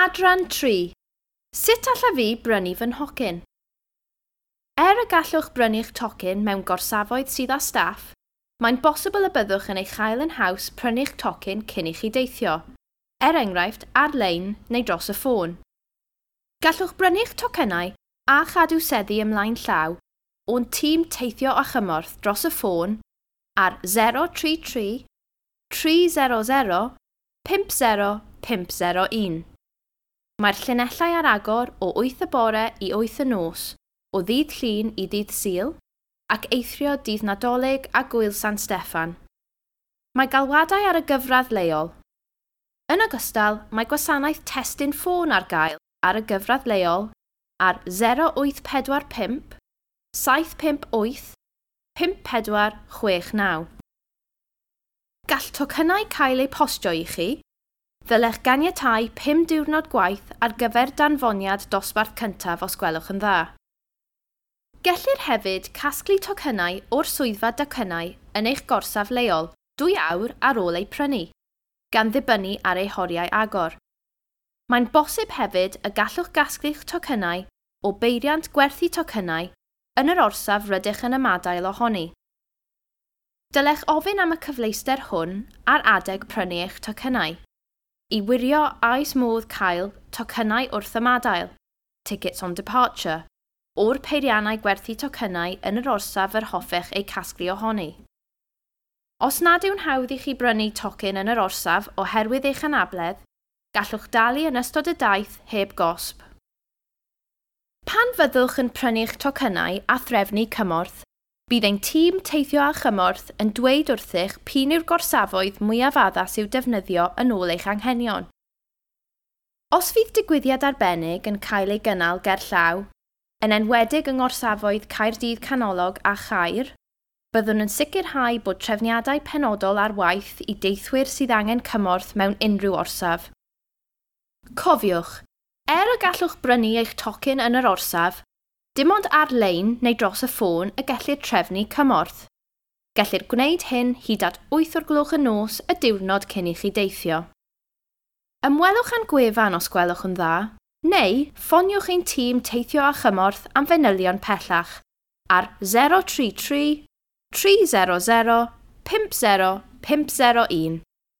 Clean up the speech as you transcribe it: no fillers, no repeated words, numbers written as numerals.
Adran 3. Sut allaf fi brynu fy nhocyn? Er y gallwch brynu'ch tocyn mewn gorsafoedd sydd â staff, mae'n bosibl y byddwch yn ei chael yn haws prynu'ch tocyn cyn i chi deithio, er enghraifft ar-lein neu dros y ffôn. Gallwch brynu'ch tocynnau a chadw seddi ymlaen llaw o'n tîm teithio a chymorth dros y ffôn ar 033 300 50501. Mae'r llinellau ar agor o 8 y bore i 8 y nos, o ddydd Llun i ddydd Sul, ac eithrio dydd Nadolig a Gŵyl San Steffan. Mae galwadau ar y gyfradd leol. Yn ogystal, mae gwasanaeth testun ffôn ar gael ar y gyfradd leol ar 0845 758 5469. Gall tocynnau cael eu postio i chi. Ddylech ganiatáu 5 diwrnod gwaith ar gyfer danfoniad dosbarth cyntaf os gwelwch yn dda. Gellir hefyd casglu tocynnau o'r swyddfa docynnau yn eich gorsaf leol 2 awr ar ôl eu prynu, gan ddibynnu ar eu horiau agor. Mae'n bosib hefyd y gallwch gasglu'ch tocynnau o beiriant gwerthu tocynnau yn yr orsaf rydych yn ymadael ohoni. Dylech ofyn am y cyfleuster hwn ar adeg prynu eich tocynnau, i wirio a oes modd cael tocynnau wrth ymadael, tickets on departure, o'r peiriannau gwerthu tocynnau yn yr orsaf yr hoffech eu casglu ohoni. Os nad yw'n hawdd i chi brynu tocyn yn yr orsaf oherwydd eich anabledd, gallwch dalu yn ystod y daith heb gosb. Pan fyddwch yn prynu'ch tocynnau a threfnu cymorth, bydd ein tîm teithio a chymorth yn dweud wrthych p'un yw'r gorsafoedd mwyaf addas i'w defnyddio yn ôl eich anghenion. Os fydd digwyddiad arbennig yn cael ei gynnal ger llaw, yn enwedig yng ngorsafoedd Caerdydd Canolog a Chaer, byddwn yn sicrhau bod trefniadau penodol ar waith i deithwyr sydd angen cymorth mewn unrhyw orsaf. Cofiwch, er y gallwch brynu eich tocyn yn yr orsaf, dim ond ar-lein neu dros y ffôn y gellir trefnu cymorth. Gellir gwneud hyn hyd at 8 o'r gloch y nos y diwrnod cyn i chi deithio. Ymwelwch â'n gwefan os gwelwch yn dda, neu ffoniwch ein tîm teithio a chymorth am fanylion pellach ar 033 300 50501.